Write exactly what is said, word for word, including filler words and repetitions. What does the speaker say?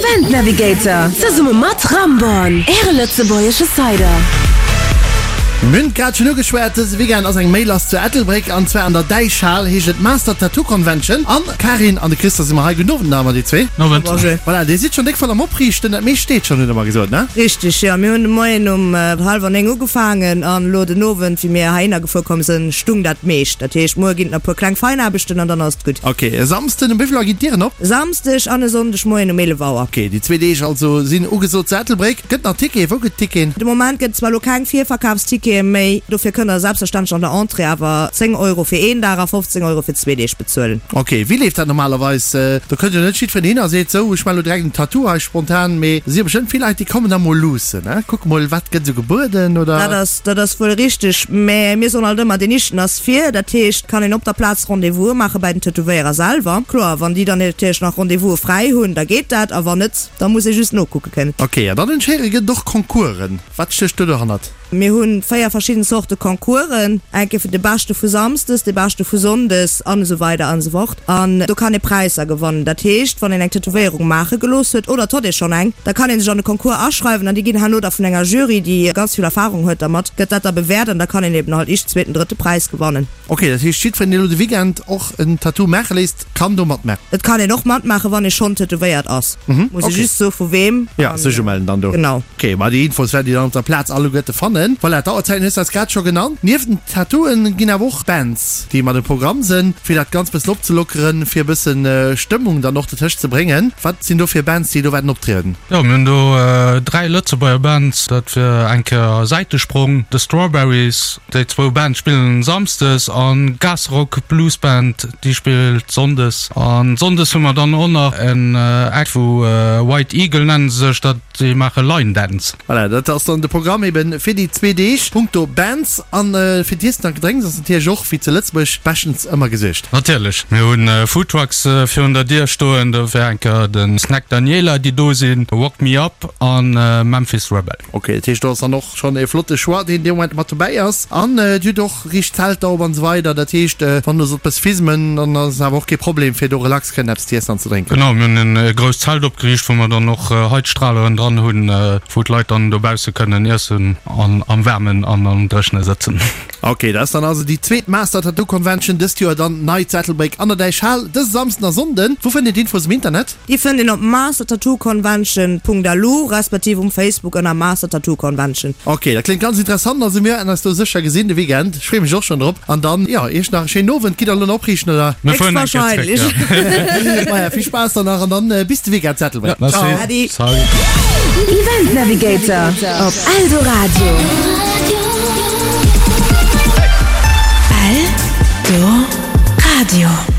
Event Navigator zesumme mat Ramborn, Äre lëtzebuergesche Cider. Mir hunn et grad schonn ugeschwat, dëse Weekend ass eng Méi lass zu Ettelbréck an zwar an der Däichhal, heescht et Master Tattoo Convention. An d'Karin an de Christer si mer hei. Gudden Owend nach emol déi zwee. Owend. Bonjour. Voilà, dir sidd schonn déck voll am Opriichten, dat meescht steet schonn, hutt der mer gesot, ne? Richteg, jo. Mir hunn de Moien um hallwer néng ugefaangen an elo den Owend, wéi mir heihinner gefuer komm sinn, stung dat meescht. Dat heescht, muer ginn et nach e puer kleng Feinaarbechten an dann ass et gutt. Ok, e Samsden um wéi vill Auer ginn d'Dieren op? E Samsdeg an e Sonndeg Moien um eelef Auer. Ok, déi zwee Deeg also sinn ugesot zu Ettelbréck. Gëtt nach Ticketen? Wou gëtt Ticketen? De Moment gëtt et zwar elo keng Virverkafstickete méi, dofir kënnt der selbstverständlech an der Entrée awer zéng Euro fir een Dag a fofzéng Euro fir zwee Deeg bezuelen. Ok, wéi leeft dat normalerweis? Do kënnt jo net jiddwereen hin a seet, sou, ech maache lo direkt en Tattoo hei spontan, mee et si jo bestëmmt vill Leit, déi kommen da mol luussen, ne? Kucke mol, wat gëtt esou gebueden, oder? Dat ass, dat ass wuel richteg, mä mir soen alt ëmmer, deen Ischten ass vir. Dat heescht, kann een op der Plaz Rendez-vouse maache bäi den Tätowéierer selwer. Kloer, wann déi dann natierlech nach Rendez-vouse fräi hunn, da geet dat, a wann net, da muss ee just nokucke kënnen. Ok, an dann hunn ech héieren, gëtt et och Concoursen. Wat stécht do dohannert? Mir hu véier verschidden Zorte Concoursen, eng Kéier fir de Beschte vu Samsdes, de Beschte vu Sonndes an esou weider an esou fort. An do kann ee Präisser gewannen. Dat heescht, wann een eng Tätowéierung maache gelooss huet oder et huet ee schonn eng, da kann ee sech an de Concours aschreiwen an déi ginn herno da vun enger Jury, déi ganz vill Erfarung huet dermat, gëtt dat da bewäert an da kann een eben halt éischten, zweeten, drëtte Präis gewannen. Ok, dat heescht jiddwereen, deen elo de Weekend och en Tattoo maache léisst, kann do matmaachen? Et kann een och matmaachen, wann ee schonn tätowéiert ass. Muss ee just soe vu weem. Jo, sech umellen dann do. Genau. Ok, ma déi Infos wäert Dir dann op der Plaz alleguerte fannen. Voilà, d'Auerzäiten hues de eis grad scho genannt. Nieft den Tattooen ginn awer och Bands, déi mat um Programm sinn, fir dat Ganzt bëssen opzelockeren, fir e bëssen Stëmmung dann och dertëscht ze bréngen. Wat sinn do fir Bands, déi do wäerten optrieden? Jo, mir hunn do dräi Lëtzebuerger Bands, dat wier eng Kéier Säitesprong, The Strawberries, déi zwou Bands spillen samsdes, an Gasrock Blues Band, déi spillt sonndes. An sonndes hu mer dann och nach en Act vu White Eagle nennen se sech, dat déi maache Line Dance. Voilà, dat ass dann de Programm eben fir déi zwee Deeg punkto Bands. An fir d'Iessen an d'Gedrénks ass natierlech och, wéi zu Lëtzebuerg, beschtens ëmmer gesuergt. Natierlech, mir hunn Foodtrucks virun der Dier stoen, do wär eng Kéier de Snack Daniela, déi do sinn, Wok Me Up an Memphis Rebel. Ok, dat heescht do ass dann och schonn e flotte Choix, deen dee Moment mat dobäi ass. An Dir hutt och riicht Zelter op an esou weider, dat heescht wann do sollt bëss fismen, dann ass et awer och kee Problem fir do relax kënnen eppes z'iessen an ze drénken. Genau, mir hunn e grousst Zelt opgeriicht, wou mer dann och Heizstraleren dran hunn, wou d'Leit dann dobausse kënnen iessen an am Waarmen an am Dréchene sëtzen. Ok, dat ass dann also déi zweet Master Tattoo Convention dëst Joer dann nei zu Ettelbréck an der Däichhal dëse Samsden a Sonnden. Wou fënnt een d'Infos um Internet? Déi fënnt een op mastertattooconvention punkt lu respektiv um Facebook ënner Master Tattoo Convention. Ok, dat kléngt ganz interessant. Also mir wäerten eis do sécher gesinn de Weekend. Ech freeë mech och schonn drop. An dann, jo, iech nach e schéinen Owend. Gitt der elo nach opriichten, oder? Mir fueren eng Kéier zréck, jo. Maja, vill Spaass dann nach an dann bis de Weekend zu Ettelbréck. Merci. Ciao. Äddi. Salut. Event Navigator op Eldoradio. Eldoradio.